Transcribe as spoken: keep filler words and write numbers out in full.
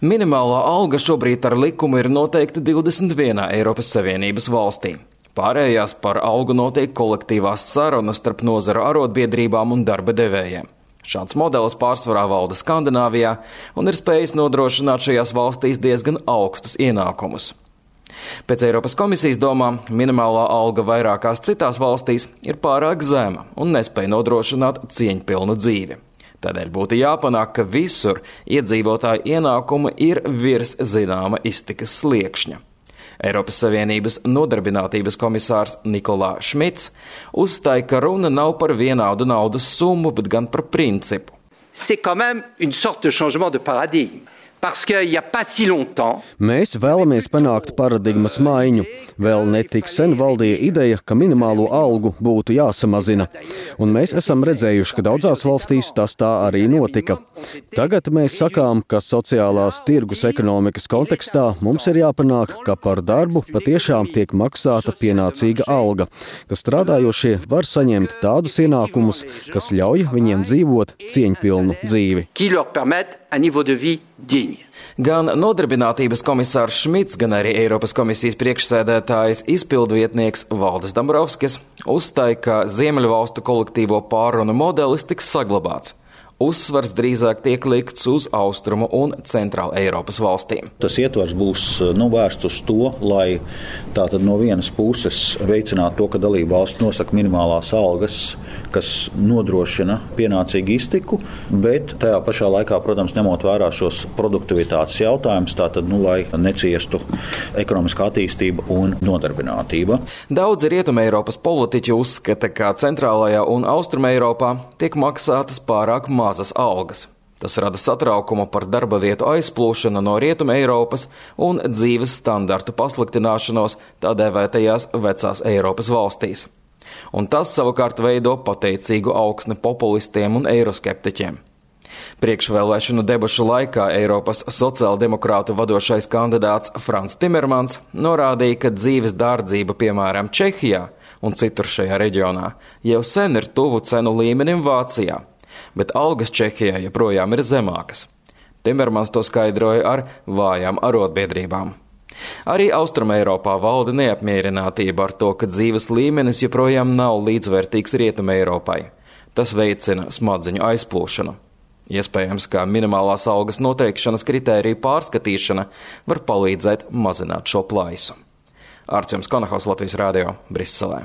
Minimālā alga šobrīd ar likumu ir noteikta divdesmit vienā Eiropas Savienības valstī. Pārējās par algu notiek kolektīvās sarunas starp nozaru arotbiedrībām un darba devējiem. Šāds modelis pārsvarā valda Skandināvijā un ir spējis nodrošināt šajās valstīs diezgan augstus ienākumus. Pēc Eiropas komisijas domām, minimālā alga vairākās citās valstīs ir pārāk zema un nespēj nodrošināt cieņpilnu dzīvi. Tādēļ būtu jāpanāk, ka visur iedzīvotāju ienākumi ir virs zināma iztikas sliekšņa. Eiropas Savienības nodarbinātības komisārs Nikolā Šmits uzstāja, ka runa nav par vienādu naudas summu, bet gan par principu. C'est quand même une sorte de changement de paradigme. Mēs vēlamies panākt paradigmas maiņu. Vēl netik sen valdīja ideja, ka minimālo algu būtu jāsamazina. Un mēs esam redzējuši, ka daudzās valstīs tas tā arī notika. Tagad mēs sakām, ka sociālās tirgus ekonomikas kontekstā mums ir jāpanāk, ka par darbu patiešām tiek maksāta pienācīga alga, ka strādājošie var saņemt tādus ienākumus, kas ļauj viņiem dzīvot cieņpilnu dzīvi. Gan nodarbinātības komisārs Šmits, gan arī Eiropas komisijas priekšsēdētājs izpildvietnieks Valdis Dombrovskis uzstāja, ka Ziemeļvalstu kolektīvo pārrunu modelis tiks saglabāts. Uzsvars drīzāk tiek likts uz Austrumu un Centrāla Eiropas valstīm. Tas ietvars būs nu, vērsts uz to, lai tātad no vienas puses veicinātu to, ka dalība valsts nosaka minimālās algas, kas nodrošina pienācīgu iztiku, bet tajā pašā laikā, protams, ņemot vērā šos produktivitātes jautājumus, tātad, nu, lai neciestu ekonomiskā attīstība un nodarbinātība. Daudzi Rietuma Eiropas politiķi uzskata, ka Centrālajā un Austruma Eiropā tiek maksātas pārāk mazas algas. Tas rada satraukumu par darba vietu aizplūšanu no Rietuma Eiropas un dzīves standartu pasliktināšanos tā dēvētajās vecās Eiropas valstīs. Un tas savukārt veido pateicīgu augsni populistiem un eiroskeptiķiem. Priekšvēlēšanu debašu laikā Eiropas sociāldemokrātu vadošais kandidāts Frans Timermans norādīja, ka dzīves dārdzība, piemēram, Čehijā un citur šajā reģionā, jau sen ir tuvu cenu līmenim Vācijā, bet algas Čehijā joprojām ir zemākas. Timermans to skaidroja ar vājām arotbiedrībām. Arī Austruma Eiropā valda neapmierinātība ar to, ka dzīves līmenis joprojām nav līdzvērtīgs Rietuma Eiropai. Tas veicina smadziņu aizplūšanu. Iespējams, ka minimālās algas noteikšanas kritēriju pārskatīšana var palīdzēt mazināt šo plaisu. Ārts Konahaus, Latvijas Rādio, Briselē.